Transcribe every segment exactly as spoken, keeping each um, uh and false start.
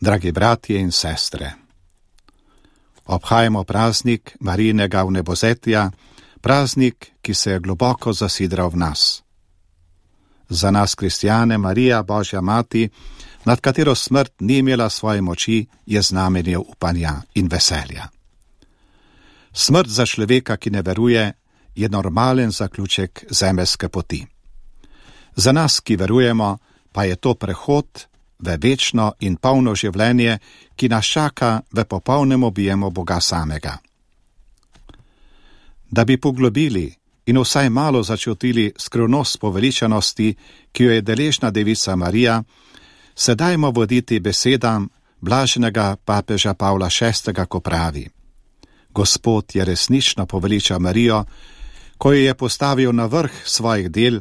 Dragi bratje in sestre, obhajamo praznik Marijinega vnebovzetja, praznik, ki se je globoko zasidral v nas. Za nas kristjane Marija, Božja mati, nad katero smrt ni imela svoje moči, je znamenje upanja in veselja. Smrt za človeka, ki ne veruje, je normalen zaključek zemeljske poti. Za nas, ki verujemo, pa je to prehod v večno in polno življenje, ki nas čaka v popolnem objemu Boga samega. Da bi poglobili in vsaj malo začutili skrivnost poveličanosti, ki jo je deležna devica Marija, se dajmo voditi besedam blaženega papeža Pavla šestega, ko pravi: Gospod je resnično poveličal Marijo, ko jo je postavil na vrh svojih del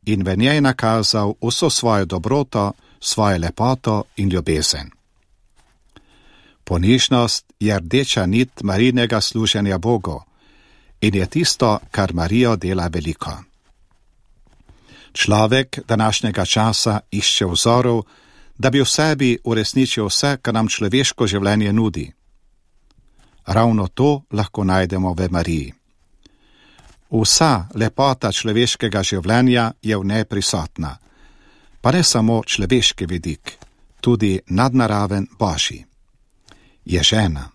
in v njej nakazal vso svojo dobroto, svojo lepoto in ljubezen. Ponižnost je rdeča nit Marijinega služenja Bogu in je tisto, kar Marijo dela veliko. Človek današnjega časa išče vzorov, da bi v sebi uresničil vse, kar nam človeško življenje nudi. Ravno to lahko najdemo v Mariji. Vsa lepota človeškega življenja je v njej prisotna, pa ne samo človeški vidik, tudi nadnaraven Božji. Je žena,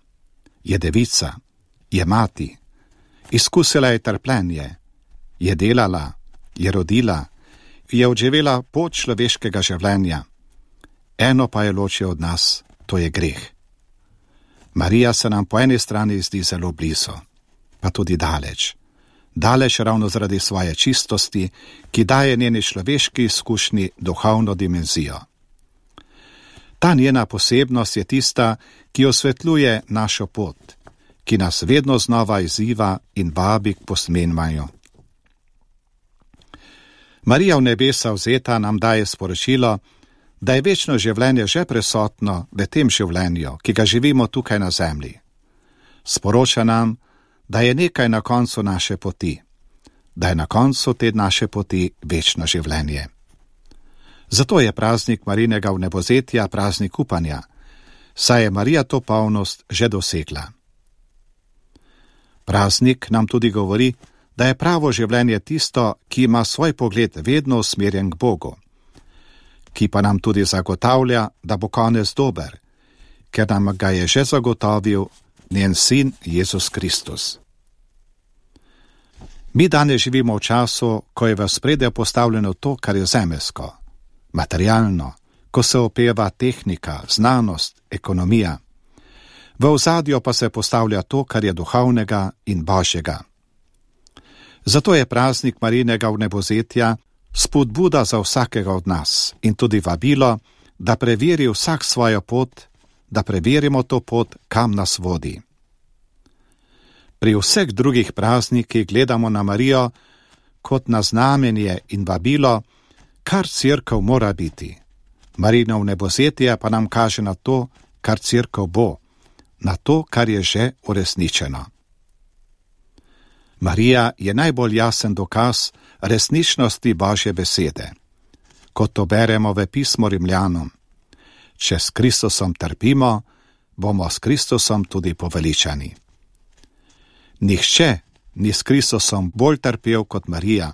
je devica, je mati, izkusila je trpljenje, je delala, je rodila, je odživela pot človeškega življenja. Eno pa je loči od nas, to je greh. Marija se nam po eni strani zdi zelo blizu, pa tudi daleč. Daleč ravno zaradi svoje čistosti, ki daje njeni človeški izkušnji duhovno dimenzijo. Ta njena posebnost je tista, ki osvetljuje našo pot, ki nas vedno znova izziva in vabi k posmenvanju. Marija v nebesa vzeta nam daje sporočilo, da je večno življenje že prisotno v tem življenju, ki ga živimo tukaj na zemlji. Sporoča nam, da je nekaj na koncu naše poti, da je na koncu te naše poti večno življenje. Zato je praznik Marijinega vnebovzetja praznik upanja, saj je Marija to polnost že dosegla. Praznik nam tudi govori, da je pravo življenje tisto, ki ima svoj pogled vedno usmerjen k Bogu, ki pa nam tudi zagotavlja, da bo konec dober, ker nam ga je že zagotovil njen sin Jezus Kristus. Mi danes živimo v času, ko je v ospredje postavljeno to, kar je zemeljsko, materialno, ko se opeva tehnika, znanost, ekonomija. V ozadju pa se postavlja to, kar je duhovnega in božjega. Zato je praznik Marijinega vnebovzetja spodbuda za vsakega od nas in tudi vabilo, da preveri vsak svojo pot, da preverimo to pot, kam nas vodi. Pri vseh drugih praznikih gledamo na Marijo kot na znamenje in vabilo, kar cerkev mora biti. Marijino vnebovzetje pa nam kaže na to, kar cerkev bo, na to, kar je že uresničeno. Marija je najbolj jasen dokaz resničnosti Božje besede. Kot to beremo v pismu Rimljanom: če s Kristusom trpimo, bomo s Kristusom tudi poveličani. Nihče ni s Kristusom bolj trpel kot Marija,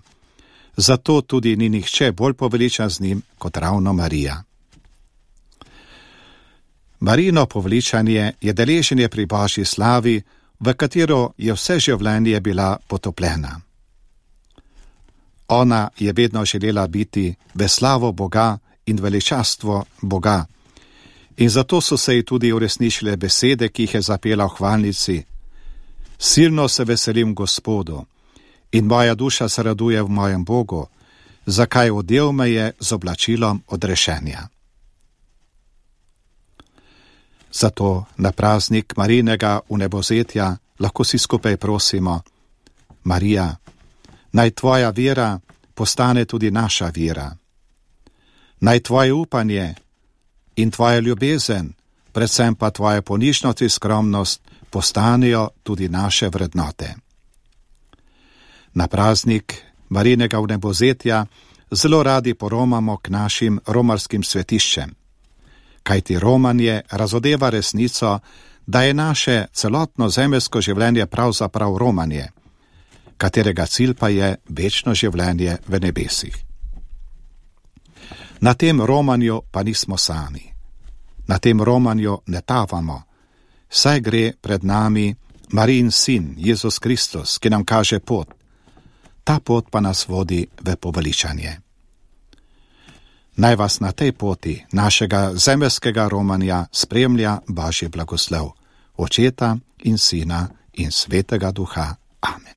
zato tudi ni nihče bolj poveličan z njim kot ravno Marija. Marijino poveličanje je deleženje pri Božji slavi, v katero je vse življenje bila potopljena. Ona je vedno želela biti v slavo Boga in veličastvo Boga, in zato so se ji tudi uresničile besede, ki jih je zapela v hvalnici: silno se veselim Gospodu in moja duša se raduje v mojem Bogu, zakaj odel me je z oblačilom odrešenja. Zato na praznik Marijinega vnebovzetja lahko si skupaj prosimo: Marija, naj tvoja vera postane tudi naša vera. Naj tvoje upanje in tvoja ljubezen, predvsem pa tvoja ponižnost in skromnost, postanejo tudi naše vrednote. Na praznik Marijinega vnebovzetja zelo radi poromamo k našim romarskim svetiščem, kajti romanje razodeva resnico, da je naše celotno zemeljsko življenje pravzaprav romanje, katerega cilj pa je večno življenje v nebesih. Na tem romanju pa nismo sami. Na tem romanju ne tavamo, saj gre pred nami Marijin sin, Jezus Kristus, ki nam kaže pot. Ta pot pa nas vodi v poveličanje. Naj vas na tej poti našega zemeljskega romanja spremlja Božji blagoslov, Očeta in Sina in Svetega Duha. Amen.